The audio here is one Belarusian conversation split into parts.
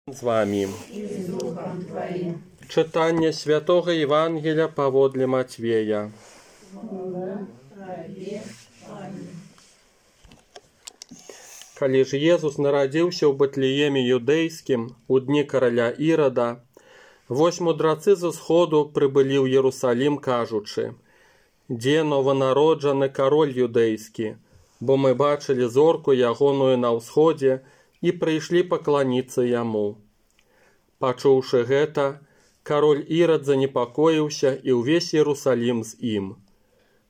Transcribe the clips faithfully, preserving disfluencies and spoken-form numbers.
З вами читання Святого Євангелія паводле Матвея. Калі ж Езус нарадзіўся ў Бэтлееме юдэйскім у дні караля Ірада, вось мудрацы з усходу прыбылі ў Єрусалім, кажучы: «Дзе нованароджаны кароль юдэйскі, бо мы бачылі зорку ягоную на ўсходзе і прыйшлі пакланіцца яму». Пачуўшы гэта, кароль Ірад занепакоіўся і ўвесь Єрусалім з ім.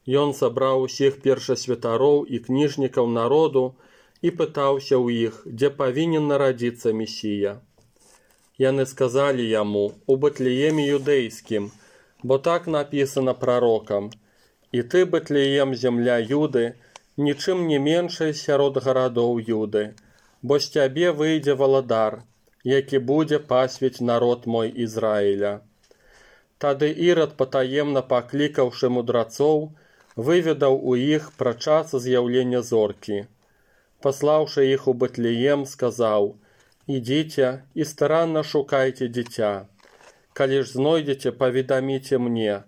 Ён сабраў усіх першасвятароў і кніжнікаў народу і пытаўся ў іх, дзе павінен нарадзіцца Месія. Яны сказалі яму: «У Бэтлееме юдэйскім, бо так напісана прарокам: і ты, Бэтлеем, земля Юды, нічым не меншай сярод гарадоў Юды, бо з цябе выйдзе валадар, які будзе пасвіць народ мой Ізраіля». Тады Ірад, патаемна паклікаўшы мудрацоў, выведаў у іх пра час з'яўлення зоркі. Паслаўшы іх у Бэтлеем, сказаў: «Ідзіце і старанна шукайце дзіця. Калі ж знойдзеце, паведаміце мне,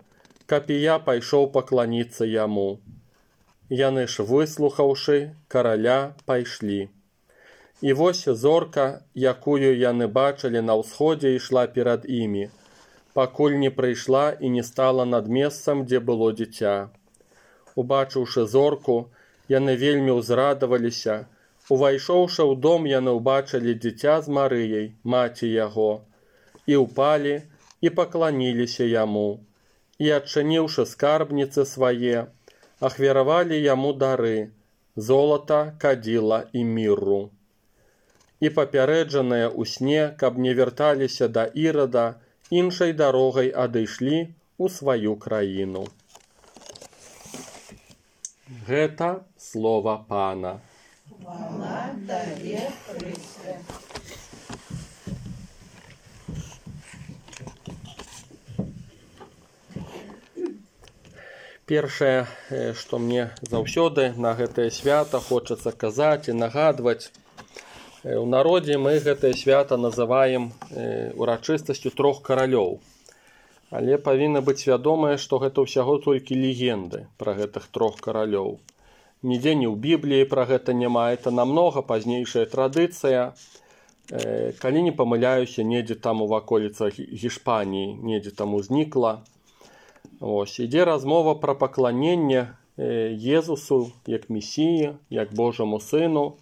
каб і я пайшоў пакланіцца яму». Яны ж, выслухаўшы караля, пайшлі. І вось зорка, якую яны бачылі на ўсходзе, ішла перад імі, пакуль не прыйшла і не стала над месцам, дзе было дзіця. Убачыўшы зорку, яны вельмі ўзрадаваліся. Увайшоўшы ў дом, яны ўбачылі дзіця з Марыяй, маці яго, і ўпалі і пакланіліся яму. І, адчыніўшы скарбніцы свае, ахвяравалі яму дары: золата, кадзіла і мірру. І папярэджаныя ў сне, каб не вярталіся да Ірада, іншай дарогай адышлі ў сваю краіну. Гэта слова Пана. Хвала табе, Христе. Першае, што мне заўсёды на гэтае свята хочацца казаць і нагадваць, у народзе мы гэтае свята называем урачыстасцю трох каралёў. Але павінна быць свядомае, што гэта ўсяго толькі легенды пра гэтых трох каралёў. Нідзе ні ў Бібліі пра гэта няма, это намнога пазнейшая традыцыя. Калі не памыляюся, недзе там у ваколіцах Гішпаніі, недзе там узнікла. Ось, ідзе размова пра пакланенне Езусу як Месіі, як Божаму Сыну,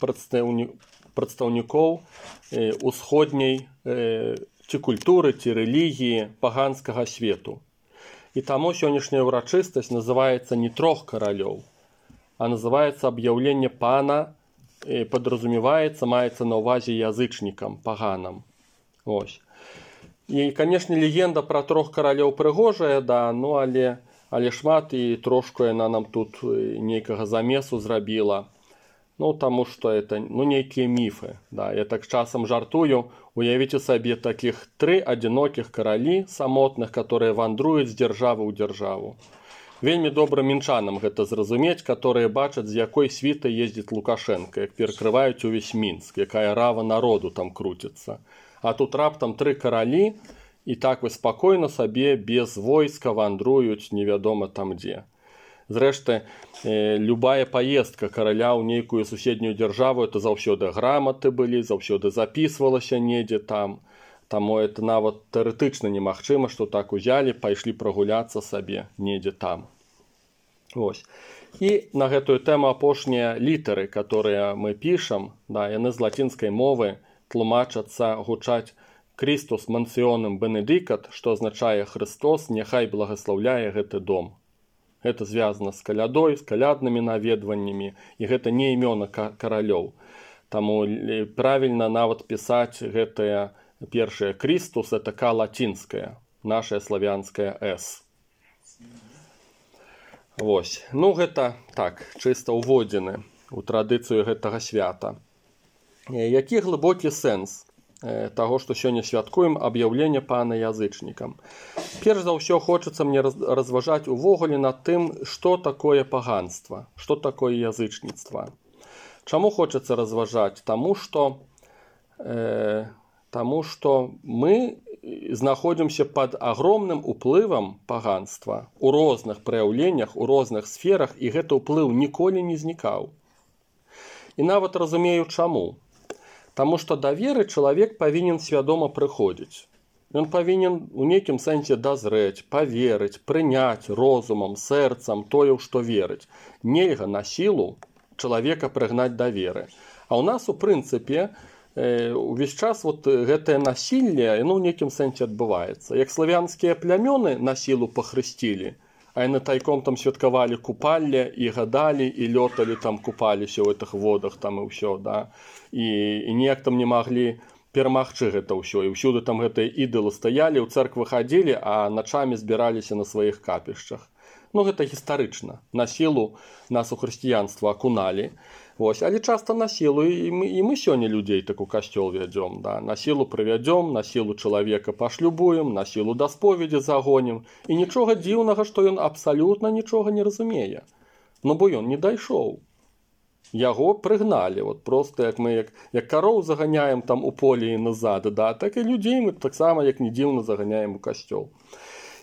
прадстаўнікоў усходняй ці культуры, ці рэлігіі паганскага свету. І таму сённяшняя ўрачыстасць называецца не трох каралёў, а называецца аб'яўленне Пана, падразумеваецца, маецца на ўвазе язычнікам, паганам. Ось. І, канешне, легенда пра трох каралёў прыгожая, да, ну, але, але шмат і трошку яна нам тут нейкага замесу зрабіла. Ну, таму што это, ну, нейкія міфы, да. Я так часам жартую, уявіце сабе такіх тры адзінокіх каралі самотных, которые вандруюць з дзяржавы ў дзяржаву. Вельмі добра мінчанам гэта зразумець, которые бачаць, з якой світай ездзіць Лукашенко, як перакрываюць увесь Мінск, якая рава народу там круціцца. А тут раптам тры каралі і так вы спакойна сабе без войска вандруюць невядома там дзе. Зрэшты, любая паездка караля ў нейкую суседнюю дзяржаву, это заўсёды граматы былі, заўсёды запісвалася недзе там. Таму это нават тэарэтычна немагчыма, што так узялі, пайшлі прагуляцца сабе недзе там. Ось. І на гэтую тэму апошнія літары, которые мы пішам, да, яны з лацінскай мовы тлумачацца, гучаць «Christus mansionem benedicat», што азначае «Христос няхай благаслаўляе гэты дом». Гэта звязана з калядой, з каляднымі наведваннямі, і гэта не імёны каралёў. Таму правільна нават пісаць гэтае першае «Christus», это «К» лацінская, нашая славянская «С». Вось. Ну, гэта так, чыста ўводзіны ў традыцыю гэтага свята. Які глыбокі сэнс таго, што сёння святкуем аб'яўленне Пана язычнікам? Перш за ўсё хочацца мне разважаць увогуле над тым, што такое паганства, што такое язычніцтва. Чаму хочацца разважаць? Таму што э, Таму што мы знаходзімся пад агромным уплывам паганства у розных праяўленнях, у розных сферах, і гэты ўплыў ніколі не знікаў. І нават разумею чаму. Таму што да веры чалавек павінен свядома прыходзіць. Ён павінен у нейкім сэнсе дазрэць, паверыць, прыняць розумам, сэрцам тое, ў што верыць. Нельга на сілу чалавека прыгнаць да веры. А ў нас, у прынцыпе, увесь час вот гэтае насілле, ну, ў нейкім сэнсе адбываецца. Як славянскія плямёны на сілу пахрысцілі, а яны тайком там святкавалі купалле і гадалі, і лёталі там, купаліся ў гэтых водах там і ўсё, да? І, і ніяк там не маглі перамагчы гэта ўсё. І ўсюды там гэтыя ідалы стаялі, ў цэрквы хадзілі, а начамі збіраліся на сваіх капішчах. Ну, гэта гістарычна. На сілу нас у хрысціянства акуналі. Вось, але часта на сілу, і мы, і мы сёння людзей так у касцёл вядзём, да? На сілу прывядзём, на сілу чалавека пашлюбуем, на сілу да споведзі загонім. І нічога дзіўнага, што ён абсалютна нічога не разумее. Ну, бо ён не дайшоў. Яго прыгналі, вот просто як мы як, як кароў заганяем там у полі і назад, да? Так і людзей мы таксама, як не дзіўна, заганяем у касцёл.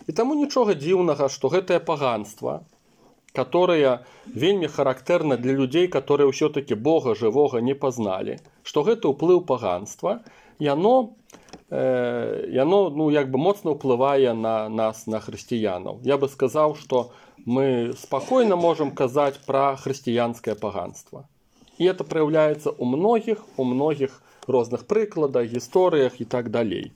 І таму нічога дзіўнага, што гэтае паганства, которая вельмі характэрна для людзей, которые ўсё-таки Бога жывога не пазналі, што гэта ўплыў паганства, яно, э, яно ну, як бы моцна ўплывае на нас, на хрысціянаў. Я бы сказаў, што мы спакойна можам казаць пра хрысціянскае паганство. І это праяўляецца ў многіх, у многіх розных прыкладах, гісторыях і так далей.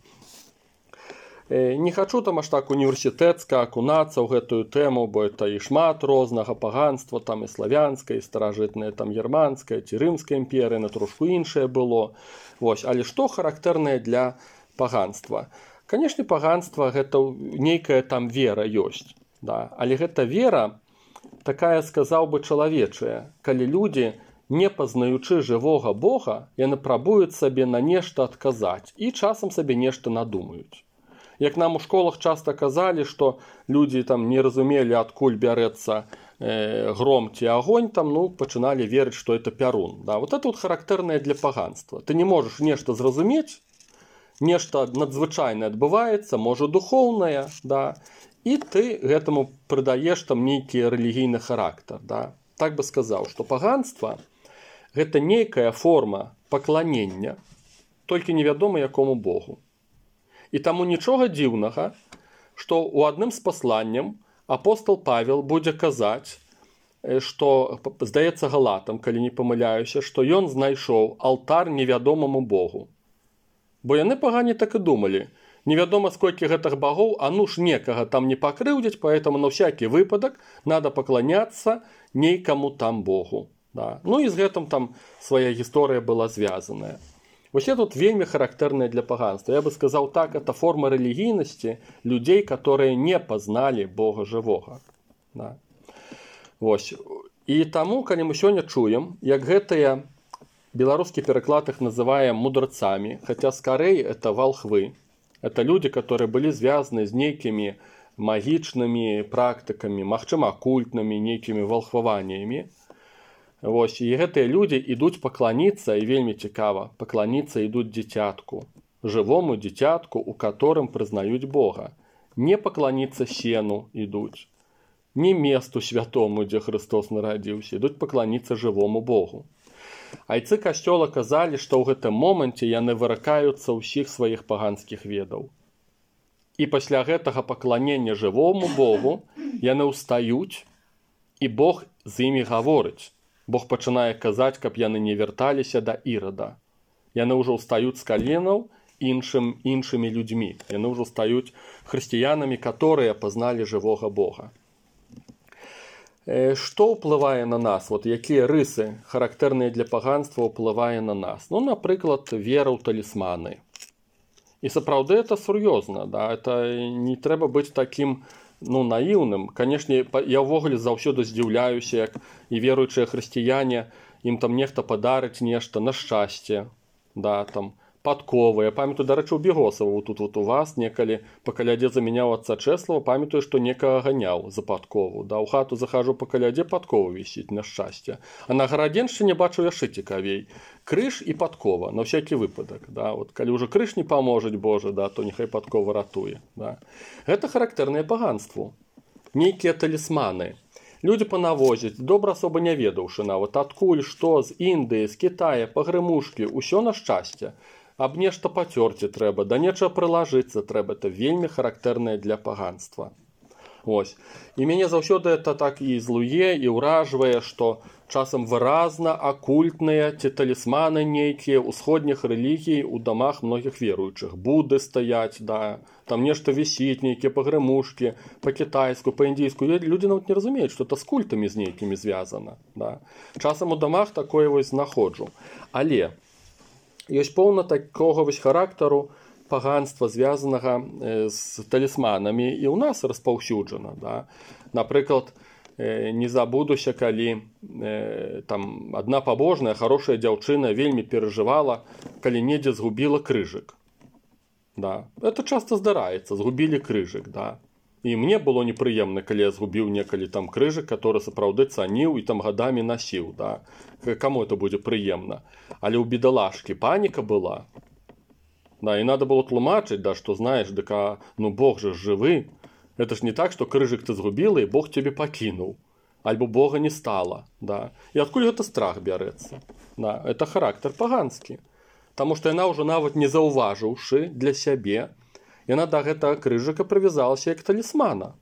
Не хачу там аж так універсітэцка акунацца ў гэтую тэму, бо это і шмат рознага паганства, там і славянскае, і старажытнае, там германскае, ці рымская імперыя, на трошку іншае было. Вось, але што характэрнае для паганства? Канешне, паганства гэта нейкая там вера ёсць, да? Але гэта вера такая, сказаў бы, чалавечая, калі людзі, не пазнаючы жывога Бога, яны прабуюць сабе на нешта адказаць і часам сабе нешта надумаюць. Як нам у школах часта казалі, што людзі там не разумелі, адкуль бярэцца э, гром ці агонь, там, ну, пачыналі верыць, што это пярун. Да? Вот это вот характэрнае для паганства. Ты не можаш нешта зразумець, нешта надзвычайнае адбываецца, можа духоўнае, да? І ты гэтаму прыдаеш там нейкі рэлігійны характар. Да? Так бы сказаў, што паганства гэта нейкая форма пакланення, толькі невядома якому Богу. І таму нічога дзіўнага, што ў адным з пасланняў апостол Павел будзе казаць, што, здаецца, галатам, калі не памыляюся, што ён знайшоў алтар невядомаму Богу. Бо яны пагане так і думалі. Невядома, сколькі гэтых багоў, а ну ж некага там не пакрыўдзіць, поэтому на всякий выпадак надо пакланяцца нейкаму там Богу. Да. Ну і з гэтым там свая гісторыя была звязаная. Вось это тут вельмі характэрнае для паганства. Я бы сказаў так, это форма рэлігійнасці людзей, которые не пазналі Бога жывога. Да. Вось. І таму, калі мы сёння чуем, як гэтыя, беларускі пераклад іх называе мудрацамі, хаця скарэй это валхвы, это людзі, которые былі звязаны з нейкімі магічнымі практыкамі, магчыма, акультнымі, нейкімі валхваваннямі. Вось, і гэтыя людзі ідуць пакланіцца, і вельмі цікава, пакланіцца ідуць дзіцятку, жывому дзіцятку, у которым прызнаюць Бога. Не пакланіцца сену ідуць, не месту святому, дзе Христос нарадзіўся, ідуць пакланіцца жывому Богу. Айцы касцёла казалі, што ў гэтым моманце яны выракаюцца ўсіх сваіх паганскіх ведаў. І пасля гэтага пакланення жывому Богу яны ўстаюць, і Бог з імі гаворыць. Бог пачынае казаць, каб яны не вярталіся да Ірада. Яны ўжо ўстаюць з каленаў іншым, іншымі людзьмі. Яны ўжо стаюць хрысціянамі, которые пазналі жывога Бога. Э, што ўплывае на нас? Вот якія рысы, характэрныя для паганства, ўплывае на нас? Ну, напрыклад, вера ў талісманы. І сапраўды это сур'ёзна. Да? Это не трэба быць такім, ну, наіўным. Канешне, я ўвогуле заўсёды здзіўляюся, як і веруючыя хрысціяне, ім там нехта падарыць нешта на шчасце, да, там, падковы. Я памятаю, дарэчы, у Бегосава вот тут вот у вас некалі па калядзе замяняў отца Чэслава, памятаю, што некага ганяў за падкову. Да, у хату захожу па калядзе, падкова вісіць, на шчасце. А на Гарадзеншчыне бачу яшчэ цікавей. Крыж і падкова, на всякий выпадак. Да. Вот, калі ўжо крыж не паможаць, Божа, да, то няхай падкова ратуе. Да. Гэта характэрнае паганству. Нейкія талісманы. Людзі панавозяць, добра асоба не ведаўшы нават, адкуль, што, з Індыі, з Кітая, пагрымушкі, усё на шчасце. Аб нешта пацёрці трэба, да нечага прылажыцца трэба, это вельмі характэрнае для паганства. Ось. І мяне заўсёды это так і злуе, і ўражвае, што часам выразна акультныя ці талісманы нейкія ўсходніх рэлігій у дамах многіх веруючых. Будды стаяць, да, там нешта вісіць, нейкія пагрымушкі, па-кітайску, па-індійску. Людзі нават не разумеюць, што это з культамі з нейкімі звязана. Да. Часам у дамах такое вось знаходжу. Але ёсць поўна такога вось характару паганства, звязанага з талісманамі, і ў нас распаўсюджана. Да? Напрыклад, не забудуся, калі там адна пабожная, хорошая дзяўчына вельмі перажывала, калі недзе згубіла крыжык. Да? Это часта здараецца, згубілі крыжык. Да? І мне было непрыемна, калі я згубіў некалі там крыжык, который сапраўды цаніў і там гадамі насіў. Да? Каму это будзе прыемна? Але ў бедалашкі паніка была. Да, і надо было тлумачыць, да, што знаеш, дык, а, ну Бог же жывы. Это ж не так, што крыжык ты згубіла, і Бог цябе пакінуў. Альбо Бога не стала. Да? І адкуль гэта страх бярэцца? Да? Это характар паганскі. Таму што яна ўжо нават не заўважыўшы для сябе, яна да гэтага крыжыка прывязалася як талісмана.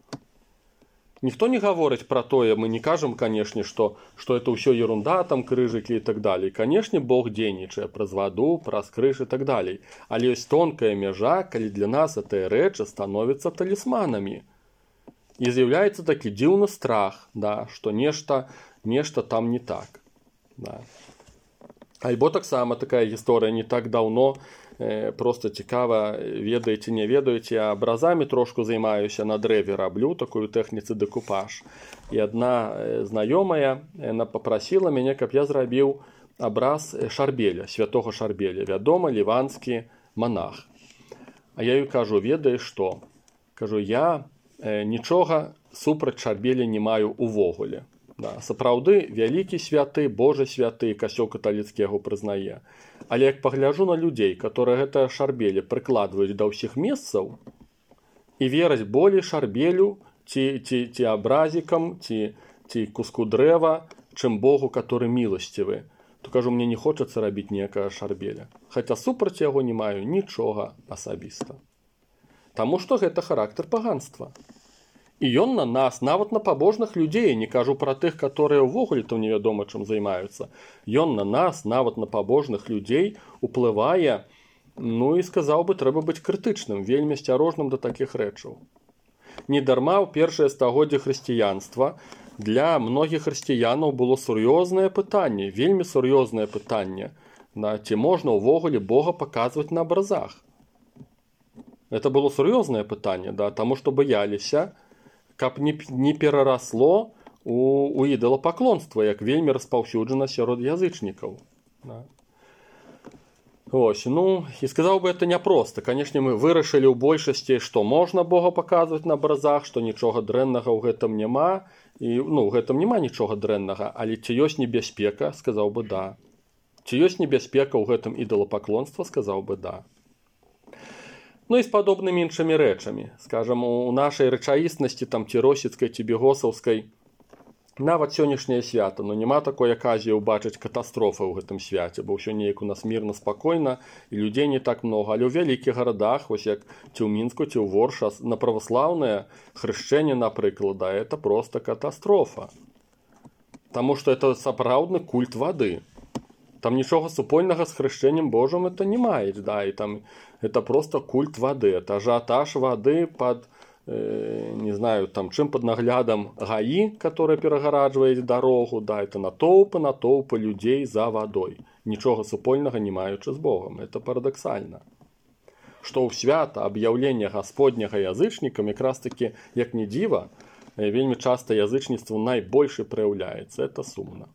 Ніхто не гаворыць пра тое, мы не кажам, канешне, што, што это ўсё ерунда, там крыжыкі і так далей. Канешне, Бог дзейнічае праз ваду, праз крыж і так далей. Але ёсць тонкая мяжа, калі для нас гэтыя рэчы становяцца талісманамі. І з'яўляецца такі дзіўны страх, да, што нешта, нешта там не так. Да. Альбо таксама такая гісторыя не так даўно, просто цікава, ведаеце, не ведаеце, я абразамі трошку займаюся, на дрэве раблю, такую тэхніцы дэкупаж. І адна знаёмая, яна папрасіла мяне, каб я зрабіў абраз Шарбеля, святога Шарбеля, вядома, ліванскі манах. А я ёй кажу, ведаеш што? Кажу, я нічога супраць Шарбеля не маю увогуле. Да, сапраўды, вялікі святы, Божы святы, касцёл каталіцкі яго прызнае. Але як пагляджу на людзей, которые гэтае Шарбеле прыкладваюць да ўсіх месцаў і вераць болей Шарбелю ці, ці, ці абразікам, ці, ці куску дрэва, чым Богу, который міласцівы, то кажу, мне не хочацца рабіць некага Шарбеля. Хаця супраць яго не маю нічога асабіста. Таму што гэта характар паганства. І ён на нас, нават на пабожных людзей, не кажу пра тых, которые ўвогуле там невядома чым займаюцца. Ён на нас, нават на пабожных людзей, уплывае, ну і сказаў бы, трэба быць крытычным, вельмі асцярожным да такіх рэчаў. Недарма ў першае стагоддзе хрысціянства для многіх хрысціянаў было сур'ёзнае пытанне, вельмі сур'ёзнае пытанне, да, ці можна ўвогуле Бога паказваць на абразах. Это было сур'ёзнае пытанне, да, таму што бояліся, каб не, не перарасло у, у ідалапаклонства, як вельмі распаўсюджана сярод язычнікаў. Да. Ось, ну, і сказаў бы, это няпроста. Канешне, мы вырашылі ў большасці, што можна Бога паказваць на абразах, што нічога дрэннага ў гэтым няма, і, ну, ў гэтым няма нічога дрэннага, але ці ёсць небяспека, сказаў бы, да. Ці ёсць небяспека ў гэтым ідалапаклонства, сказаў бы, да. Ну і з падобнымі іншымі рэчамі. Скажам, у нашай рэчаіснасці, там, ці росіцкай, ці бегосаўскай, нават сённяшняе свята, но няма такой аказіі ўбачыць катастрофы ў гэтым свяце, бо ўсё неяк у нас мірна, спакойна, і людзей не так много. Але ў вялікіх гарадах, вось як ці ў Мінску, ці ў Ворша, на праваслаўнае хрышчэнне, напрыклад, да, это проста катастрофа. Таму што это сапраўдны культ вады. Там нічога супольнага з хрышчэннем Божым это не маюць, да, і там это просто культ вады, это ажыятаж вады пад, э, не знаю, там, чым пад наглядам ГАІ, которая перагараджвае дарогу, да, это натоўпы, натоўпы людзей за вадой, нічога супольнага не маючы з Богам, это парадаксальна. Што ў свята аб'яўлення гасподняга язычнікам, якраз таки, як не дзіва, вельмі часта язычніцтва найбольш праяўляецца, это сумна.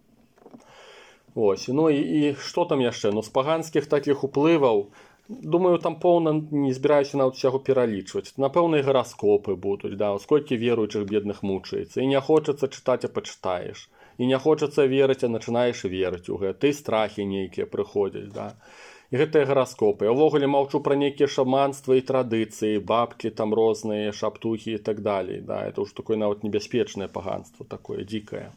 Ось, ну і, і што там яшчэ? Ну, з паганскіх такіх уплываў думаю, там поўна не збіраюся нават усяго пералічваць. Напэўна, і гараскопы будуць, да, сколькі веруючых бедных мучаецца. І не хочацца чытаць, а пачытаеш. І не хочацца верыць, а начинаеш верыць у гэта. І страхі нейкія прыходзяць, да. І гэтыя гараскопы. Я ўвогуле маўчу пра нейкія шаманства і традыцыі, бабкі там розныя, шаптухі і так далей. Да, это ўжо такое нават небяспечнае паганство, такое дзікае.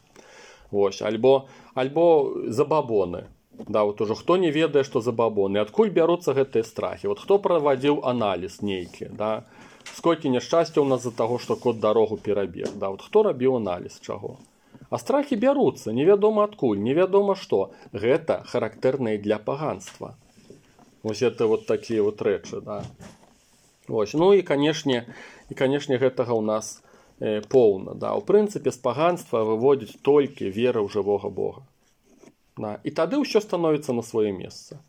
Вось, альбо, альбо забабоны. Да, вот уже хто не ведае, што забабоны. Адкуль бяруцца гэтыя страхі? Вот хто правадзіў аналіз нейкі, да? Сколькі няшчасця ў нас з-за таго, што кот дарогу перабег, да? Вот хто рабіў аналіз чаго? А страхі бяруцца, невядома адкуль, невядома што. Гэта характэрныя для паганства. Вось это вот такія вот рэчы, да. Вось, ну і канешне, і канешне гэтага ў нас э, поўна, да. У прынцыпе, з паганства выводзіць толькі вера ў жывога Бога. Да. І тады ўсё становіцца на сваё месца.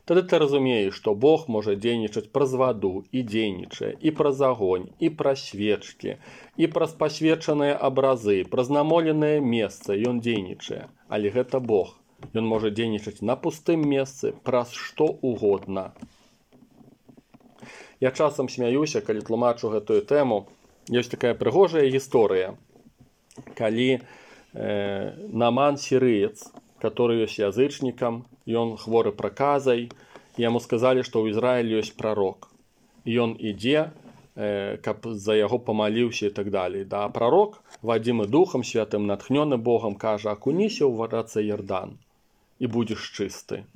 Тады ты разумееш, што Бог можа дзейнічаць праз ваду і дзейнічае, і праз агонь, і праз свечкі, і праз пасвечаныя абразы, праз намоленае месца ён дзейнічае. Але гэта Бог. Ён можа дзейнічаць на пустым месцы, праз што угодна. Я часам смяюся, калі тлумачу гэтую тэму. Ёсць такая прыгожая гісторыя, калі э, Наман сірыец, который ёсць язычнікам, ён хворы праказай, яму сказалі, што ў Ізраілі ёсць прарок. Ён ідзе, э, каб за яго памаліўся і так далей. Да, а прарок, вадзімы Духам Святым, натхнёны Богам, кажа: акуніся ў рацэ Ярдан і будзеш чысты.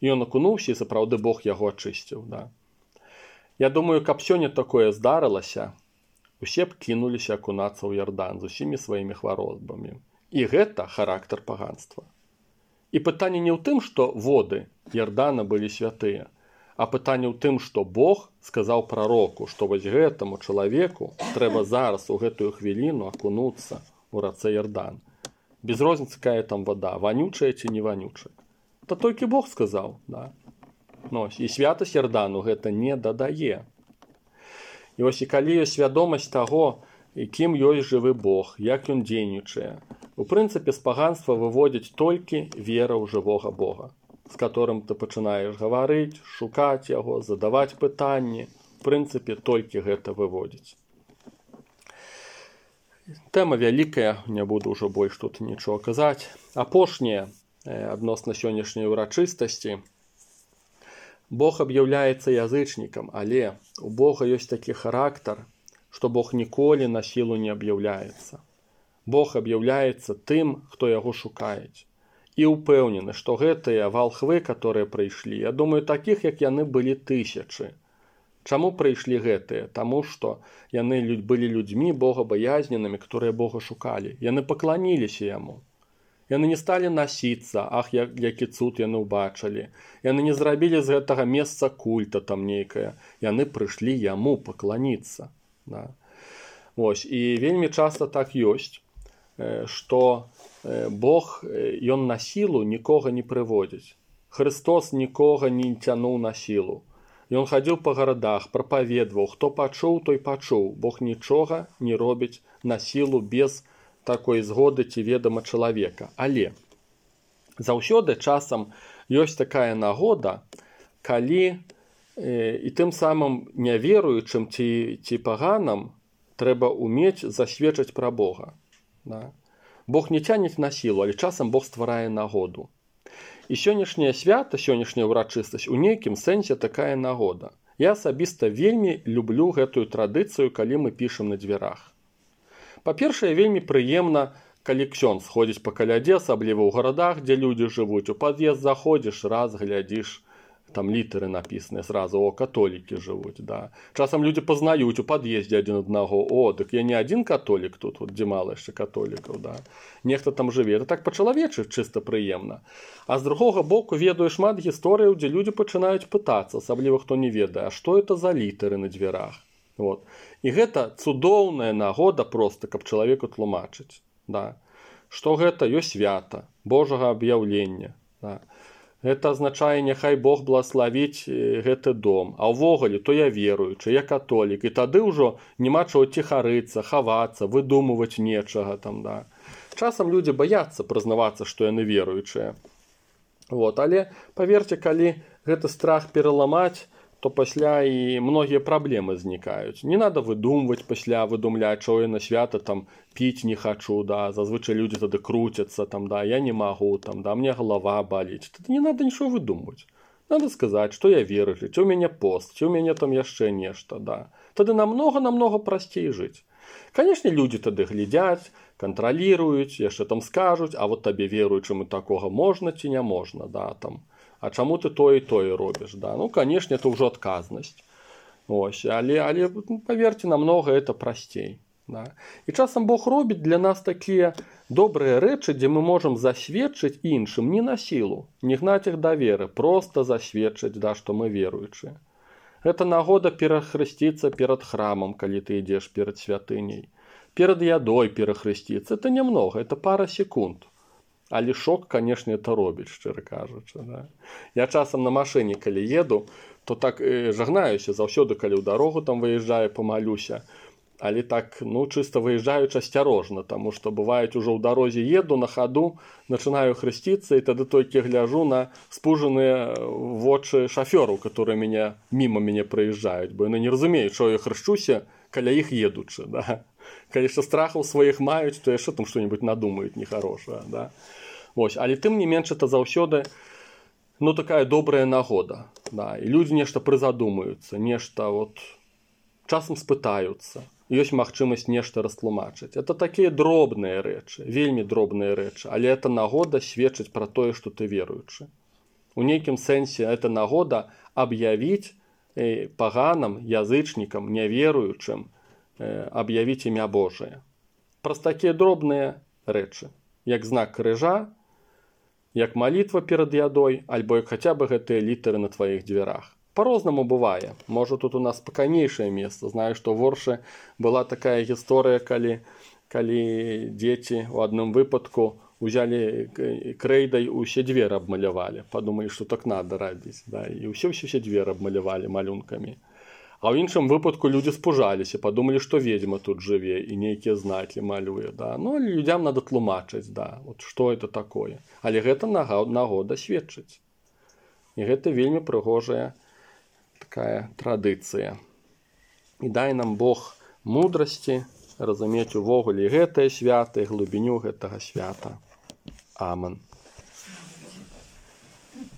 І ён акунуўся, і сапраўды Бог яго ачысціў. Да. Я думаю, каб сёння такое здарылася, усе б кінуліся акунацца ў Ярдан з усімі сваімі хваробамі. І гэта характар паганства. І пытанне не ў тым, што воды Ярдана былі святыя, а пытанне ў тым, што Бог сказаў прароку, што вось гэтаму чалавеку трэба зараз у гэтую хвіліну акунуцца ў рацэ Ярдан. Без розніцы, якая там вода, вонючая ці не вонючая. То толькі Бог сказаў, да. Ну, і святасць Ярдану гэта не дадае. І вось і калі ёсць свядомасць таго, кім ёсць жывы Бог, як ён дзейнічае, у прынцыпе, з паганства выводзіць толькі вера ў жывога Бога, з которым ты пачынаеш гаварыць, шукаць яго, задаваць пытанні. У прынцыпе, толькі гэта выводзіць. Тэма вялікая, не буду ўжо больш тут нічого казаць. Апошняе, адносна сённяшняй урачыстасці. Бог аб'яўляецца язычнікам, але у Бога ёсць такі характар, што Бог ніколі на сілу не аб'яўляецца. Бог аб'яўляецца тым, хто яго шукаюць. І ўпэўнены, што гэтыя валхвы, которые прыйшлі, я думаю, такіх, як яны, былі тысячы. Чаму прыйшлі гэтыя? Таму што яны былі людзьмі богабаязненымі, которые Бога шукалі. Яны пакланіліся яму. Яны не сталі насіцца, ах, які цуд яны ўбачылі. Яны не зрабілі з гэтага месца культа там нейкае. Яны прыйшлі яму пакланіцца. Да. Вось. І вельмі часта так ёсць, што Бог, ён на сілу нікога не прыводзіць. Христос нікога не цянуў на сілу. Ён хадзіў па гарадах, прапаведваў, хто пачуў, той пачуў. Бог нічога не робіць на сілу без такой згоды ці ведама чалавека. Але заўсёды часам ёсць такая нагода, калі э, і тым самым няверуючым ці, ці паганам трэба ўмець засведчыць пра Бога. Да? Бог не цяніць на сілу, але часам Бог стварае нагоду. І сённяшняе свята, сённяшняя ўрачыстасць у нейкім сэнсе такая нагода. Я асабіста вельмі люблю гэтую традыцыю, калі мы пішам на дзвярах. Па-першае, вельмі прыемна, калі ксёндз ходзіць па калядзе, асабліва ў гарадах, дзе людзі жывуць. У пад'езд заходзіш, раз глядзіш, там літары напісаныя зразу, о, католікі жывуць. Да. Часам людзі пазнаюць у пад'ездзе адзін аднаго, о, дык я не адзін католік тут, вот, дзе мала яшчэ католікаў. Да. Нехта там жыве. Это так па-чалавечы чыста прыемна. А з другога боку ведаю шмат гісторыяў, дзе людзі пачынаюць пытацца, асабліва хто не ведае, а што это за літары на дзвярах. Вот. І гэта цудоўная нагода проста, каб чалавеку тлумачыць. Да. Што гэта ёсць свята, Божага аб'яўлення. Да. Гэта азначае, няхай Бог благаславіць гэты дом. А ўвогуле, то я веруючы, я католік. І тады ўжо няма чаго ціхарыцца, хавацца, выдумываць нечага там, да. Часам людзі баяцца прызнавацца, што яны веруючыя. Вот. Але, паверце, калі гэты страх пераламаць, то пасля і многія праблемы знікаюць. Не надо выдумваць пасля, выдумляць, што я на свята там піць не хачу, да, зазвычай людзі тады круцяцца, там, да, я не магу, там, да, мне галава баліць. Тады не надо нічого выдумваць. Надо сказаць, што я веруючы, ці ў мяне пост, ці ў мяне там яшчэ нешта, да. Тады намнога-намнога прасцей жыць. Канешне, людзі тады глядзяць, кантраліруюць, яшчэ там скажуць, а вот табе веруючаму такога можна ці не можна, да, там. А чаму ты тое і тое робіш, да? Ну, канешне, это ўжо адказнасць. Ось, але, але паверце, намнога это прасцей. Да? І часам Бог робіць для нас такія добрыя рэчы, дзе мы можам засведчыць іншым не на сілу, не гнаць іх да веры, проста засведчыць, да, што мы веруючыя. Гэта нагода перахрысціцца перад храмам, калі ты ідзеш перад святыняй. Перад ядой перахрысціцца. Это нямнога, это пара секунд. Але шок, канешне, это робіць, шчыра кажучы. Да? Я часам на машыне, калі еду, то так э, жагнаюся заўсёды, калі ў дарогу там выязджаю, памалюся. Але так, ну, чыста выязджаючы асцярожна, таму што бываюць ужо ў дарозе еду, на хаду, начинаю хрысціцца, і тады толькі гляжу на спужаныя вочы шафёраў, которые мяне, міма мяне праязджаюць, бо яны не разумеюць, што я хрышчуся каля іх едучы, да? Калі яшчэ страхаў сваіх маюць, то яшчэ там што-небудзь надумаюць нехарошае, да? Вось, але тым не менш, это заўсёды, ну, такая добрая нагода, да? І людзі нешта прызадумаюцца, нешта вот часам спытаюцца. Ёсць магчымасць нешта растлумачыць. Это такія дробныя рэчы, вельмі дробныя рэчы, але это нагода сведчыць пра тое, што ты веруючы. У нейкім сэнсе это нагода аб'явіць э, паганам, язычнікам, няверуючым, э, аб'явіць імя Божае. Праз такія дробныя рэчы, як знак крыжа, як малітва перад ядой, альбо як хаця бы гэтыя літары на тваіх дзвярах. По-рознаму бывае. Можа, тут у нас спакайнейшае месца. Знаю, што в Оршы была такая гісторыя, калі, калі дзеці ў адным выпадку узялі крэйдай усе дзверы абмалявалі. Падумалі, што так надо рабіць. Да? І ўсе ўсе дзверы абмалявалі малюнкамі. А ў іншым выпадку людзі спужаліся, падумалі, што ведзьма тут жыве і нейкія знакі малюе. Да? Ну, але людзям надо тлумачыць, да? Вот што это такое. Але гэта нагода сведчыць. І гэта вельмі прыгожая такая традыцыя. І дай нам Бог мудрасці разумець увогуле гэтае свята і глыбіню гэтага свята. Амен.